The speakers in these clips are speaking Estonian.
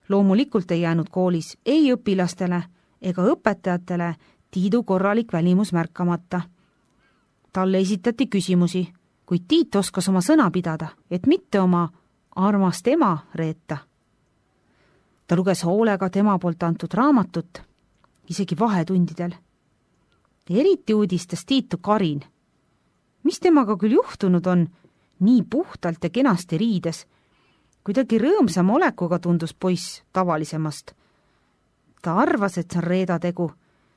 Loomulikult ei jäänud koolis ei õpilastele ega õpetajatele Tiidu korralik välimus märkamata. Talle esitati küsimusi, kuid Tiit oskas oma sõna pidada, et mitte oma armast ema reeta. Ta luges hoolega tema poolt antud raamatut, isegi vahetundidel. Eriti uudistas Tiitu Karin. Mis temaga küll juhtunud on, nii puhtalt ja kenasti riides, kuidagi rõõmsam olekuga tundus poiss tavalisemast. Ta arvas, et see on Reeda tegu,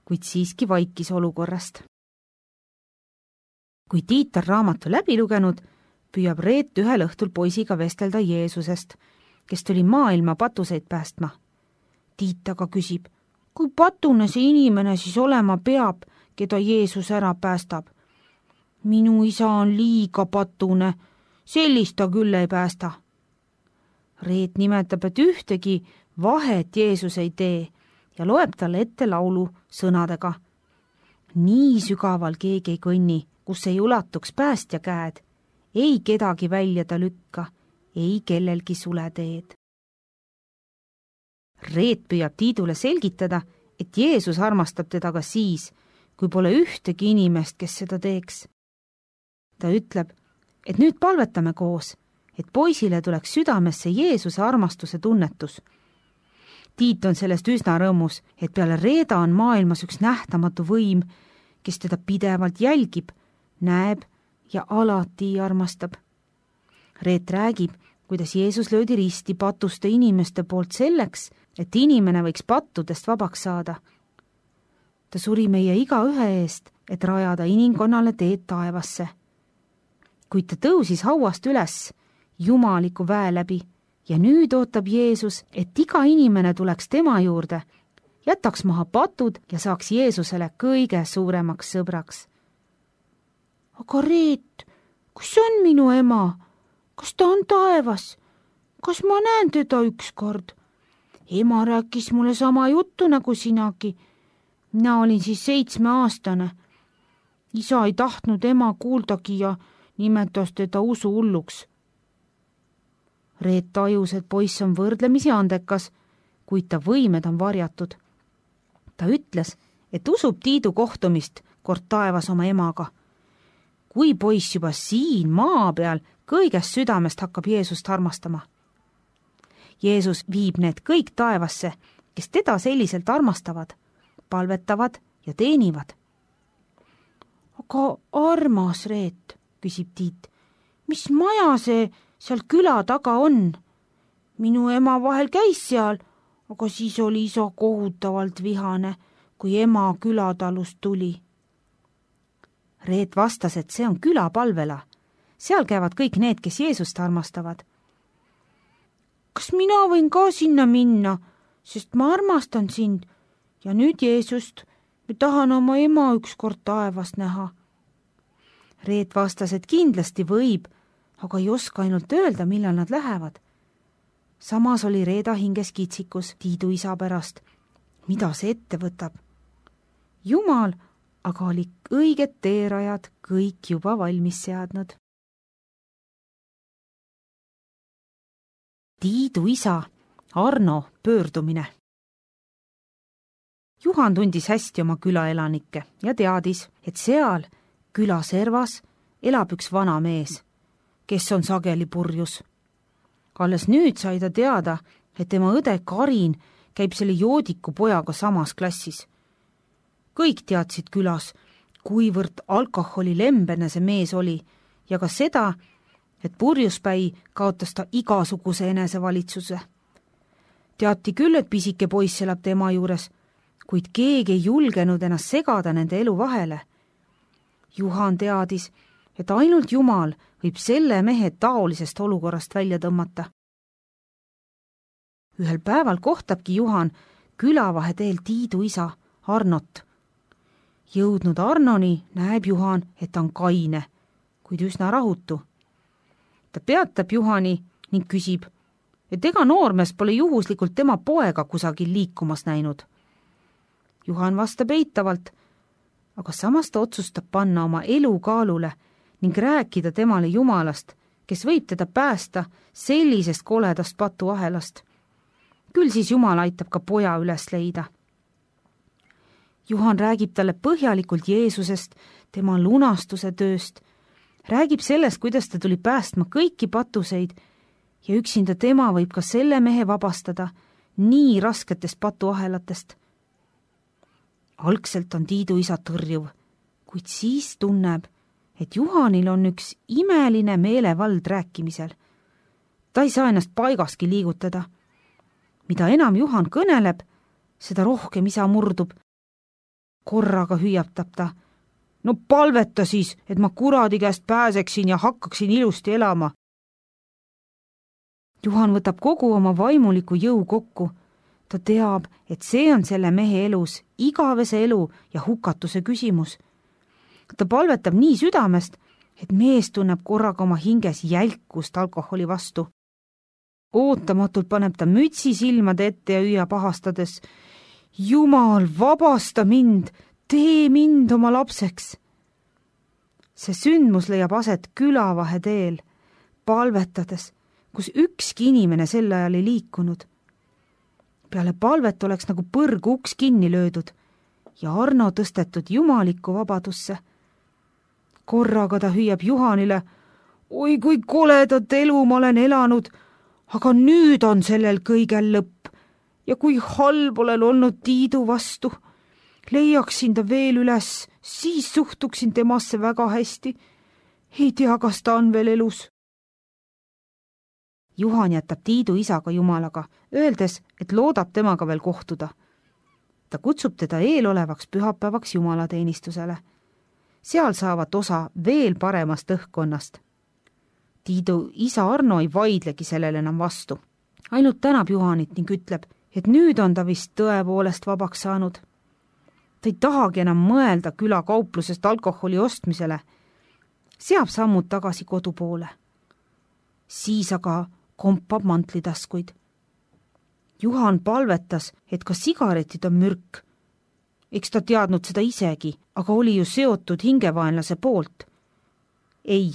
kuid siiski vaikis olukorrast. Kui Tiit on raamatu läbi lugenud, püüab Reet ühel õhtul poisiga vestelda Jeesusest, kes tuli maailma patuseid päästma. Tiit aga küsib, kui patune see inimene siis olema peab, keda Jeesus ära päästab? Minu isa on liiga patune, sellist ta küll ei päästa. Reet nimetab, et ühtegi vahet Jeesus ei tee ja loeb talle ette laulu sõnadega. Nii sügaval keegi ei kõnni, kus ei ulatuks päästja käed, ei kedagi välja ta lükka, ei kellelgi sule teed. Reet püüab Tiidule selgitada, et Jeesus armastab teda ka siis, kui pole ühtegi inimest, kes seda teeks. Ta ütleb, et nüüd palvetame koos, et poisile tuleks südamesse Jeesuse armastuse tunnetus. Tiit on sellest üsna rõõmus, et peale Reeda on maailmas üks nähtamatu võim, kes teda pidevalt jälgib, näeb ja alati armastab. Reet räägib, kuidas Jeesus löödi risti patuste inimeste poolt selleks, et inimene võiks pattudest vabaks saada. Ta suri meie igaühe eest, et rajada inimkonnale teed taevasse. Kuid ta tõusis hauast üles jumaliku väe läbi ja nüüd ootab Jeesus, et iga inimene tuleks tema juurde, jätaks maha patud ja saaks Jeesusele kõige suuremaks sõbraks. Aga Reet, kus on minu ema? Kas ta on taevas? Kas ma näen teda ükskord? Ema rääkis mulle sama juttu nagu sinagi. Mina olin siis 7-aastane. Isa ei tahtnud ema kuuldagi ja nimetas teda usuhulluks. Reet tajus, et poiss on võrdlemisi andekas, kuid ta võimed on varjatud. Ta ütles, et usub Tiidu kohtumist kord taevas oma emaga. Kui poiss juba siin maa peal kõigest südamest hakkab Jeesust armastama. Jeesus viib need kõik taevasse, kes teda selliselt armastavad, palvetavad ja teenivad. Aga armas Reet, küsib Tiit, mis maja see seal küla taga on? Minu ema vahel käis seal, aga siis oli isa kohutavalt vihane, kui ema külatalust tuli. Reet vastas, et see on külapalvela. Seal käivad kõik need, kes Jeesust armastavad. Kas mina võin ka sinna minna, sest ma armastan sind ja nüüd Jeesust, ma tahan oma ema ükskord taevast näha. Reet vastas, et kindlasti võib, aga ei oska ainult öelda, millal nad lähevad. Samas oli Reeda hinges kitsikus Tiidu isa pärast. Mida see ette võtab? Jumal aga oli õiged teerajad kõik juba valmis seadnud. Tiidu isa Arno pöördumine. Juhan tundis hästi oma külaelanikke ja teadis, et seal küla servas elab üks vana mees, kes on sageli purjus. Alles nüüd sai ta teada, et tema õde Karin käib selle joodiku pojaga samas klassis. Kõik teadsid külas, kuivõrd alkoholilembene see mees oli ja ka seda, et purjuspäi kaotas ta igasuguse enesevalitsuse. Teati küll, et pisike poiss elab tema juures, kuid keegi ei julgenud ennast segada nende elu vahele. Juhan teadis, et ainult Jumal võib selle mehe taolisest olukorrast välja tõmmata. Ühel päeval kohtabki Juhan külavaheteel Tiidu isa Arnot. Jõudnud Arnoni näeb Juhan, et ta on kaine, kuid üsna rahutu. Ta peatab Juhani ning küsib, et ega noormees pole juhuslikult tema poega kusagil liikumas näinud. Juhan vastab eitavalt, aga samas ta otsustab panna oma elu kaalule ning rääkida temale Jumalast, kes võib teda päästa sellisest koledast patuahelast. Küll siis Jumal aitab ka poja üles leida. Juhan räägib talle põhjalikult Jeesusest, tema lunastuse tööst, räägib sellest, kuidas ta tuli päästma kõiki patuseid ja üksinda tema võib ka selle mehe vabastada nii rasketest patuahelatest. Algselt on Tiidu isa tõrjuv, kuid siis tunneb, et Juhanil on üks imeline meelevald rääkimisel. Ta ei saa ennast paigaski liigutada. Mida enam Juhan kõneleb, seda rohkem isa murdub. Korraga hüüatab ta. No palveta siis, et ma kuradi käest pääseksin ja hakkaksin ilusti elama. Juhan võtab kogu oma vaimuliku jõu kokku. Ta teab, et see on selle mehe elus igavese elu ja hukatuse küsimus. Ta palvetab nii südamest, et mees tunneb korraga oma hinges jälkust alkoholi vastu. Ootamatult paneb ta mütsi silmade ette ja hüüab ahastades. Jumal, vabasta mind, tee mind oma lapseks. See sündmus leiab aset külavahe teel, palvetades, kus ükski inimene sel ajal ei liikunud. Peale palvet oleks nagu põrgu uks kinni löödud ja Arno tõstetud jumalikku vabadusse. Korraga ta hüüab Juhanile, oi kui koledat elu ma olen elanud, aga nüüd on sellel kõigel lõpp ja kui halb olen olnud Tiidu vastu. Leiaksin ta veel üles, siis suhtuksin temasse väga hästi. Ei tea, kas ta on veel elus. Juhan jätab Tiidu isaga Jumalaga, öeldes, et loodab temaga veel kohtuda. Ta kutsub teda eelolevaks pühapäevaks jumalateenistusele. Seal saavad osa veel paremast õhkkonnast. Tiidu isa Arno ei vaidlegi sellele enam vastu. Ainult tänab Juhanit ning ütleb, et nüüd on ta vist tõepoolest vabaks saanud. Ta ei tahagi enam mõelda küla kauplusest alkoholi ostmisele. Seab sammud tagasi kodu poole. Siis aga kompab mantlitaskuid. Juhan palvetas, et ka sigaretid on mürk. Eks ta teadnud seda isegi, aga oli ju seotud hingevaenlase poolt. Ei,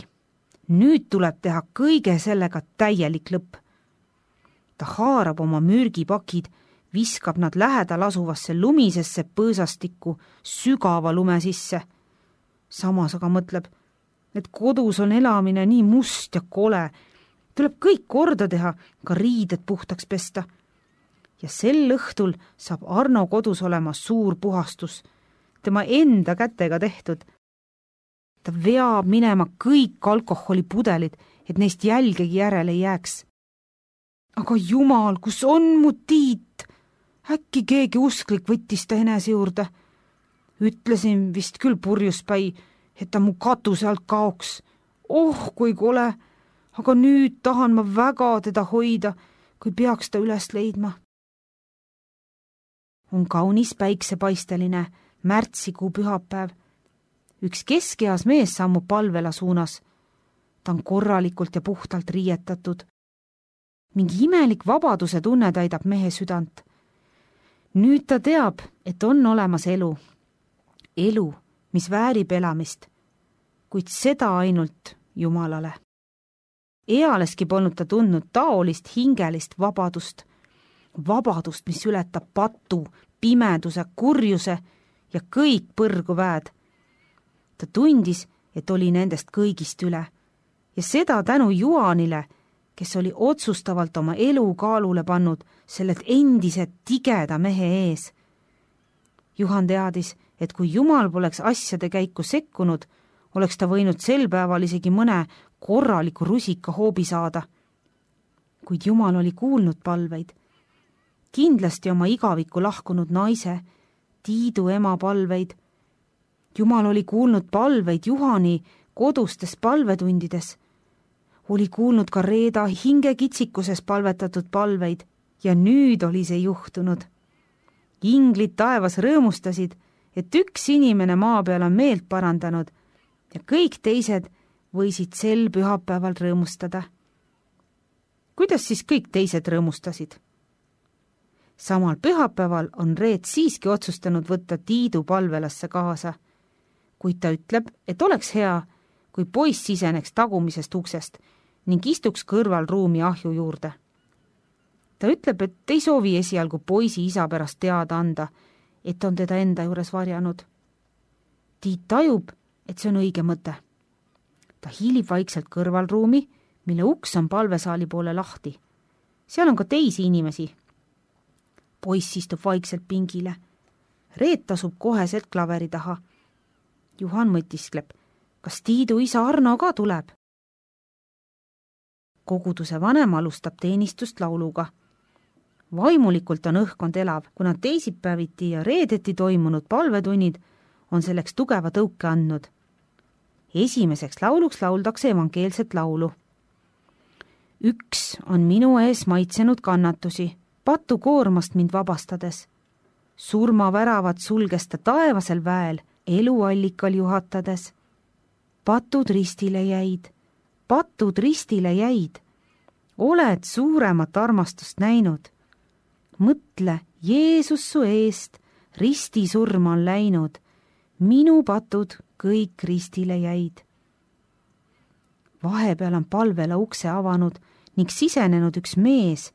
nüüd tuleb teha kõige sellega täielik lõpp. Ta haarab oma mürgipakid, viskab nad lähedal asuvasse lumisesse põõsastikku sügava lume sisse. Samas aga mõtleb, et kodus on elamine nii must ja kole. Tuleb kõik korda teha, ka riided puhtaks pesta. Ja sel õhtul saab Arno kodus olema suur puhastus, tema enda kätega tehtud. Ta veab minema kõik alkoholipudelid, et neist jälgegi järele ei jääks. Aga Jumal, kus on mu Tiit? Äkki keegi usklik võttis ta enese juurde. Ütlesin vist küll purjuspäi, et ta mu katuse alt kaoks. Oh, kui kole, aga nüüd tahan ma väga teda hoida, kui peaks ta üles leidma. On kaunis päiksepaisteline märtsikuu pühapäev. Üks keskeas mees sammub palvela suunas. Ta on korralikult ja puhtalt riietatud. Mingi imelik vabaduse tunne täidab mehe südant. Nüüd ta teab, et on olemas elu. Elu, mis väärib elamist, kuid seda ainult Jumalale. Ealeski polnud ta tundnud taolist hingelist vabadust. Vabadust, mis ületab patu, pimeduse, kurjuse ja kõik põrgu väed. Ta tundis, et oli nendest kõigist üle ja seda tänu Juhanile, kes oli otsustavalt oma elu kaalule pannud sellelt endise tigeda mehe ees. Juhan teadis, et kui Jumal poleks asjade käiku sekkunud, oleks ta võinud sel päeval isegi mõne korraliku rusika hoobi saada. Kuid Jumal oli kuulnud palveid. Kindlasti oma igavikku lahkunud naise, Tiidu ema palveid. Jumal oli kuulnud palveid Juhani kodustes palvetundides. Oli kuulnud ka Reeda hingekitsikuses palvetatud palveid ja nüüd oli see juhtunud. Inglid taevas rõõmustasid, et üks inimene maa peal on meelt parandanud ja kõik teised võisid sel pühapäeval rõõmustada. Kuidas siis kõik teised rõõmustasid? Samal pühapäeval on Reet siiski otsustanud võtta Tiidu palvelasse kaasa, kuid ta ütleb, et oleks hea, kui poiss siseneks tagumisest uksest ning istuks kõrval ruumi ahju juurde. ta ütleb, et ei soovi esialgu poisi isa pärast teada anda, et on teda enda juures varjanud. Tiit tajub, et see on õige mõte. Ta hiilib vaikselt kõrvalruumi, mille uks on palvesaali poole lahti. Seal on ka teisi inimesi. Poiss istub vaikselt pingile. Reet asub koheselt klaveri taha. Juhan mõtiskleb, kas Tiidu isa Arno ka tuleb? Koguduse vanem alustab teenistust lauluga. Vaimulikult on õhkkond elav, kuna teisipäeviti ja reedeti toimunud palvetunnid on selleks tugeva tõuke andnud. Esimeseks lauluks lauldakse evangeelset laulu. Üks on minu ees maitsenud kannatusi, patukoormast mind vabastades. Surmaväravad sulges ta taevasel väel, eluallikal juhatades. Patud ristile jäid. Oled suuremat armastust näinud. Mõtle, Jeesus su eest ristisurma on läinud. Minu patud kõik ristile jäid. Vahepeal on palvela ukse avanud ning sisenenud üks mees,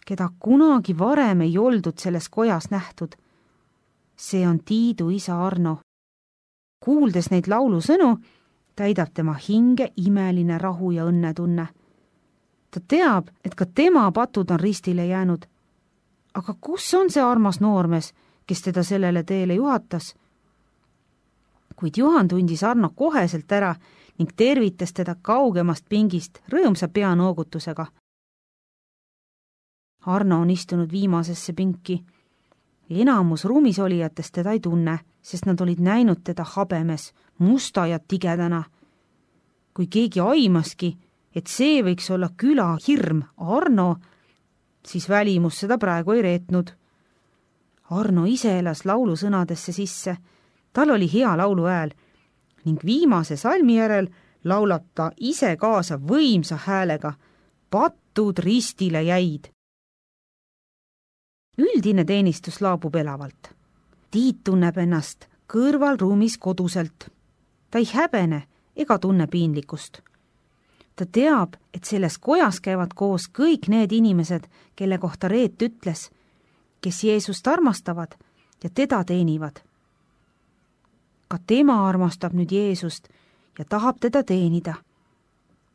keda kunagi varem ei oldud selles kojas nähtud. See on Tiidu isa Arno. Kuuldes neid laulusõnu, täidab tema hinge imeline rahu ja õnnetunne. Ta teab, et ka tema patud on ristile jäänud. Aga kus on see armas noormees, kes teda sellele teele juhatas? Kuid Juhan tundis Arno koheselt ära ning tervitas teda kaugemast pingist rõõmsa peanoogutusega. Arno on istunud viimasesse pinki. Enamus ruumis olijatest teda ei tunne, sest nad olid näinud teda habemes, musta ja tigedana. Kui keegi aimaski, et see võiks olla küla hirm Arno, siis välimus seda praegu ei reetnud. Arno ise elas laulu sõnadesse sisse. Tal oli hea lauluhääl ning viimase salmi järel laulab ta ise kaasa võimsa häälega. Patud ristile jäid. Üldine teenistus laabub elavalt. Tiit tunneb ennast kõrvalruumis koduselt. Ta ei häbene ega tunne piinlikkust. Ta teab, et selles kojas käivad koos kõik need inimesed, kelle kohta Reet ütles, kes Jeesust armastavad ja teda teenivad. Ka tema armastab nüüd Jeesust ja tahab teda teenida.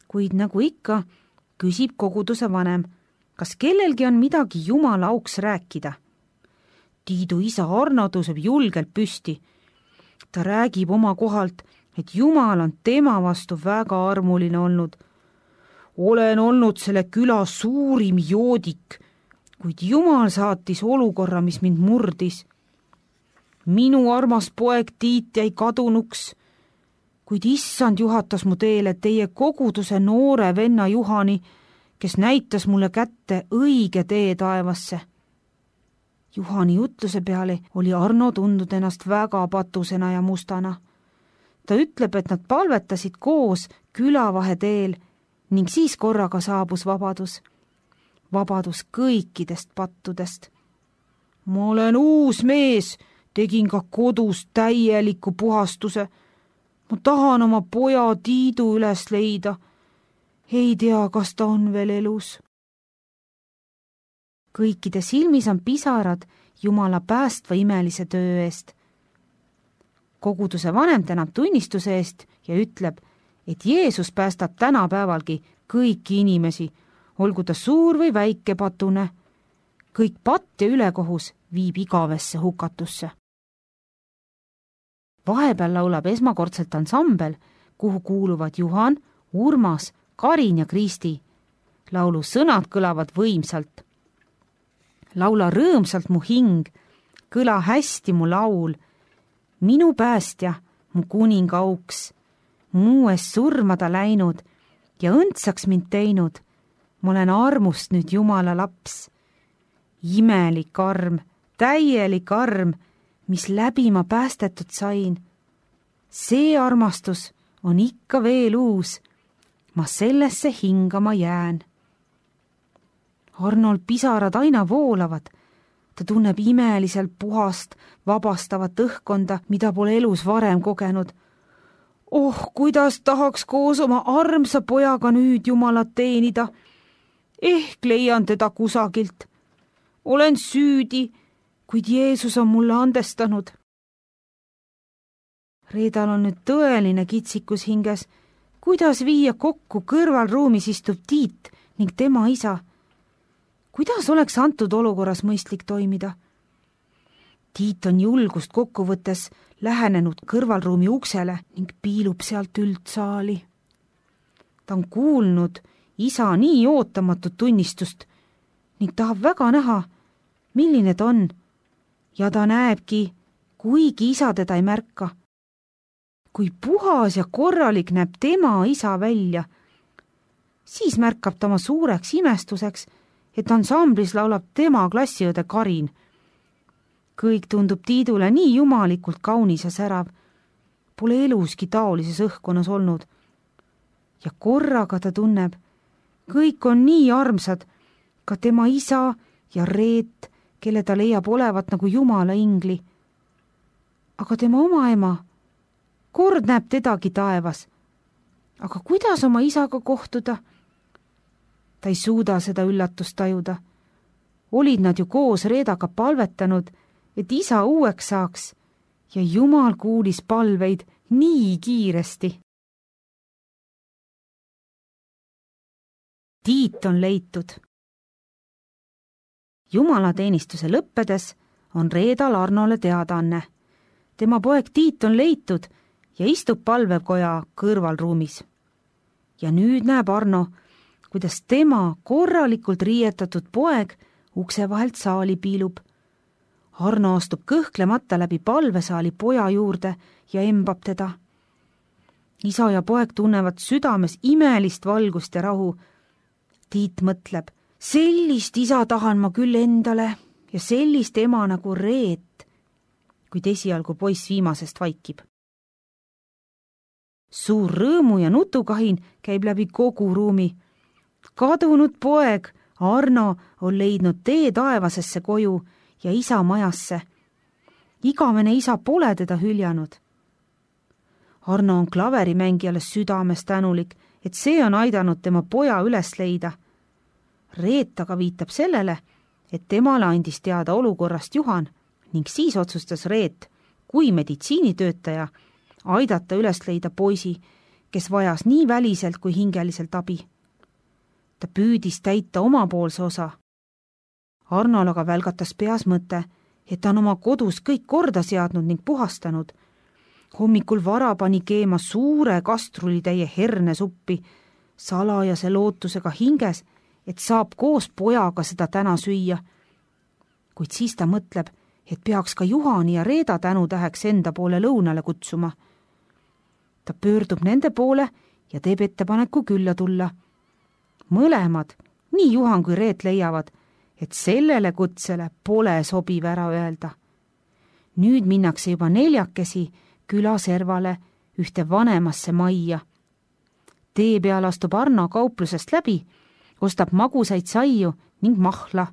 Kuid nagu ikka, küsib koguduse vanem, kas kellelgi on midagi Jumala auks rääkida. Tiidu isa Arno tõuseb julgelt püsti. Ta räägib oma kohalt, et Jumal on tema vastu väga armuline olnud. Olen olnud selle küla suurim joodik, kuid Jumal saatis olukorra, mis mind murdis. Minu armas poeg Tiit jäi kadunuks, kuid issand juhatas mu teele teie koguduse noore venna Juhani, kes näitas mulle kätte õige tee taevasse. Juhani jutluse peale oli Arno tundnud ennast väga patusena ja mustana. Ta ütleb, et nad palvetasid koos külavaheteel ning siis korraga saabus vabadus. Vabadus kõikidest pattudest. Ma olen uus mees, tegin ka kodus täieliku puhastuse. Ma tahan oma poja Tiidu üles leida. Ei tea, kas ta on veel elus. Kõikide silmis on pisarad Jumala päästva imelise töö eest. Koguduse vanem tänab tunnistuse eest ja ütleb, et Jeesus päästab tänapäevalgi kõiki inimesi, olgu ta suur või väike patune. Kõik patt ja ülekohus viib igavesse hukatusse. Vahepeal laulab esmakordselt ansambel, kuhu kuuluvad Juhan, Urmas, Karin ja Kristi. Laulu sõnad kõlavad võimsalt. Laula rõõmsalt mu hing, kõla hästi mu laul. Minu päästja, mu kuninga auks, muu eest surmada läinud ja õndsaks mind teinud. Ma olen armust nüüd Jumala laps. Imelik arm, täielik arm, mis läbi ma päästetud sain. See armastus on ikka veel uus. Ma sellesse hingama jään. Arnol pisarad aina voolavad. Ta tunneb imeliselt puhast, vabastavat õhkkonda, mida pole elus varem kogenud. Oh, kuidas tahaks koos oma armsa pojaga nüüd Jumalat teenida. ehk leian teda kusagilt. Olen süüdi, kuid Jeesus on mulle andestanud. Reedal on nüüd tõeline kitsikus hinges, kuidas viia kokku kõrvalruumis istub Tiit ning tema isa. Kuidas oleks antud olukorras mõistlik toimida? Tiit on julgust kokku võttes lähenenud kõrvalruumi uksele ning piilub sealt üldsaali. Ta on kuulnud isa nii ootamatut tunnistust ning tahab väga näha, milline ta on, ja ta näebki, kuigi isa teda ei märka. Kui puhas ja korralik näeb tema isa välja, siis märkab ta oma suureks imestuseks, et ansamblis laulab tema klassiõde Karin. Kõik tundub Tiidule nii jumalikult kaunis ja särav, pole eluski taolises õhkkonnas olnud. Ja korraga ta tunneb, kõik on nii armsad, ka tema isa ja Reet, kelle ta leiab olevat nagu jumala ingli. Aga tema oma ema, kord näeb tedagi taevas. Aga kuidas oma isaga kohtuda? Ta ei suuda seda üllatust tajuda. Olid nad ju koos Reedaga palvetanud, et isa uueks saaks, ja Jumal kuulis palveid nii kiiresti. Tiit on leitud. Jumalateenistuse lõppedes on Reedal Arnole teadaanne. Tema poeg Tiit on leitud ja istub palvekoja kõrvalruumis. Ja nüüd näeb Arno, kuidas tema korralikult riietatud poeg ukse vahelt saali piilub. Arno astub kõhklemata läbi palvesaali poja juurde ja embab teda. Isa ja poeg tunnevad südames imelist valgust ja rahu. Tiit mõtleb, sellist isa tahan ma küll endale ja sellist ema nagu Reet, kuid esialgu poiss viimasest vaikib. Suur rõõmu ja nutukahin käib läbi kogu ruumi. Kadunud poeg Arno on leidnud tee taevasesse koju ja isa majasse. Igavene isa pole teda hüljanud. Arno on klaverimängijale südames tänulik, et see on aidanud tema poja üles leida. Reet aga viitab sellele, et temale andis teada olukorrast Juhan ning siis otsustas Reet, kui meditsiinitöötaja, aidata üles leida poisi, kes vajas nii väliselt kui hingeliselt abi. Ta püüdis täita omapoolse osa. Arnol aga välgatas peas mõte, et ta on oma kodus kõik korda seadnud ning puhastanud. Hommikul vara pani keema suure kastrulitäie hernesuppi, salajase lootusega hinges, et saab koos pojaga seda täna süüa. Kuid siis ta mõtleb, et peaks ka Juhani ja Reeda tänutäheks enda poole lõunale kutsuma. Ta pöördub nende poole ja teeb ettepaneku külla tulla. Mõlemad, nii Juhan kui Reet leiavad, et sellele kutsele pole sobiv ära öelda. Nüüd minnakse juba neljakesi külaservale ühte vanemasse majja. Tee peal astub Arno kauplusest läbi, ostab magusaid saiu ning mahla.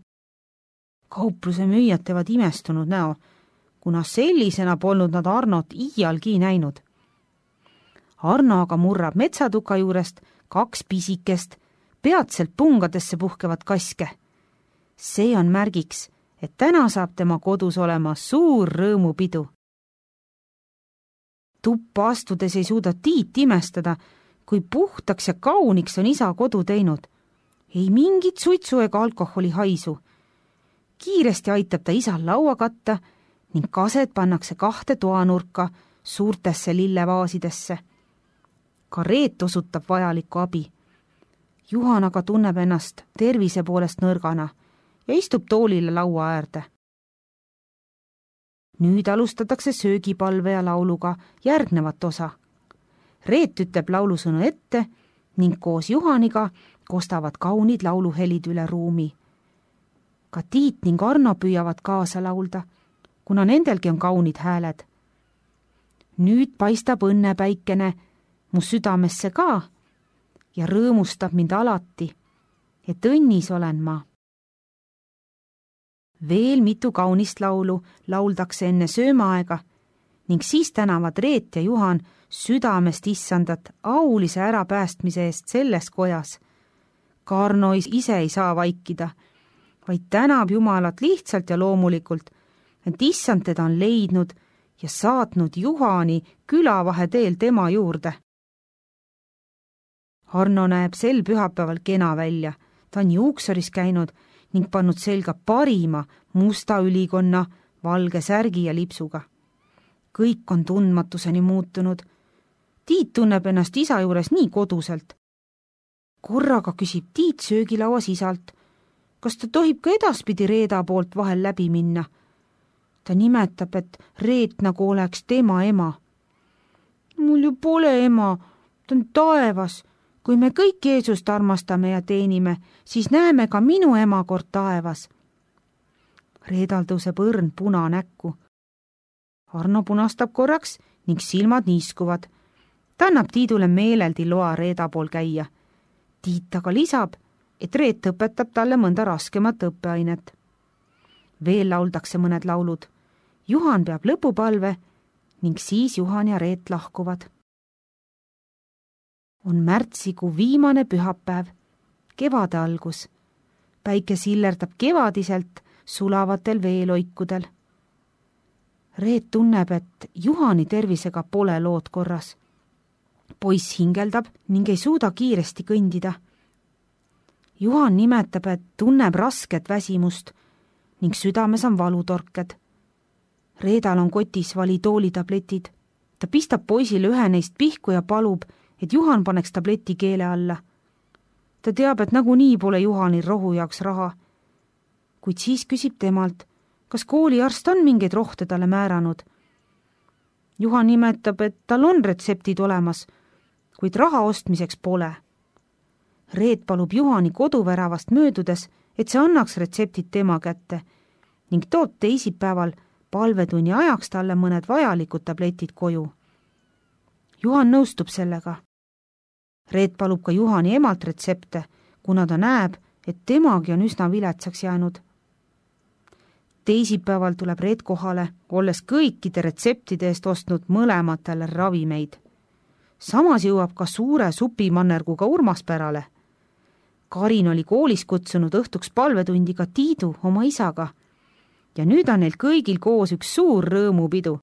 Kaupluse müüjad teevad imestunud näo, kuna sellisena polnud nad Arnot iialgi näinud. Arno aga murrab metsatuka juurest 2 pisikest, peatselt pungadesse puhkevat kaske. See on märgiks, et täna saab tema kodus olema suur rõõmupidu. Tuppa astudes ei suuda Tiit imestada, kui puhtaks ja kauniks on isa kodu teinud. Ei mingit suitsu ega alkoholi haisu. Kiiresti aitab ta isal laua katta ning kased pannakse 2 toanurka suurtesse lillevaasidesse. Ka Reet osutab vajalikku abi. Juhan aga tunneb ennast tervise poolest nõrgana ja istub toolile laua äärde. Nüüd alustatakse söögipalve ja lauluga järgnevat osa. Reet ütleb laulusõnu ette ning koos Juhaniga kostavad kaunid lauluhelid üle ruumi. Ka Tiit ning Arno püüavad kaasa laulda, kuna nendelgi on kaunid hääled. Nüüd paistab õnnepäikene mu südamesse ka ja rõõmustab mind alati, et õnnis olen ma. Veel mitu kaunist laulu lauldakse enne söömaaega ning siis tänavad Reet ja Juhan südamest issandat aulise ärapäästmise eest selles kojas. Karno ise ei saa vaikida, vaid tänab Jumalat lihtsalt ja loomulikult, et issand teda on leidnud ja saatnud Juhani külavaheteel tema juurde. Arno näeb sel pühapäeval kena välja, ta on juuksuris käinud ning pannud selga parima musta ülikonna, valge särgi ja lipsuga. Kõik on tundmatuseni muutunud. Tiit tunneb ennast isa juures nii koduselt. Korraga küsib Tiit söögilauas isalt, kas ta tohib ka edaspidi Reeda poolt vahel läbi minna. Ta nimetab, et Reet nagu oleks tema ema. Mul ju pole ema, ta on taevas. Kui me kõik Jeesust armastame ja teenime, siis näeme ka minu ema kord taevas. Reedal tõuseb õrn puna näkku. Arno punastab korraks ning silmad niiskuvad. Ta annab Tiidule meeleldi loa Reeda pool käia. Tiit aga lisab, et Reet õpetab talle mõnda raskemat õppeainet. Veel lauldakse mõned laulud. Juhan peab lõpupalve ning siis Juhan ja Reet lahkuvad. On märtsikuu viimane pühapäev, kevade algus. Päike sillerdab kevadiselt sulavatel veeloikudel. Reet tunneb, et Juhani tervisega pole lood korras. Poiss hingeldab ning ei suuda kiiresti kõndida. Juhan nimetab, et tunneb rasket väsimust ning südames on valutorked. Reedal on kotis valitoolitabletid. Ta pistab poisile ühe neist pihku ja palub, et Juhan paneks tableti keele alla. Ta teab, et nagunii pole Juhanil rohu jaoks raha. Kuid siis küsib temalt, kas kooliarst on mingeid rohte talle määranud. Juhan nimetab, et tal on retseptid olemas, kuid raha ostmiseks pole. Reet palub Juhani koduväravast möödudes, et see annaks retseptid tema kätte ning toob teisipäeval palvetunni ajaks talle mõned vajalikud tabletid koju. Juhan nõustub sellega. Reet palub ka Juhani emalt retsepte, kuna ta näeb, et temagi on üsna viletsaks jäänud. Teisipäeval tuleb Reet kohale, olles kõikide retseptide eest ostnud mõlematele ravimeid. Samas jõuab ka suure supimannerguga Urmas pärale. Karin oli koolis kutsunud õhtuks palvetundiga Tiidu oma isaga ja nüüd on neil kõigil koos üks suur rõõmupidu.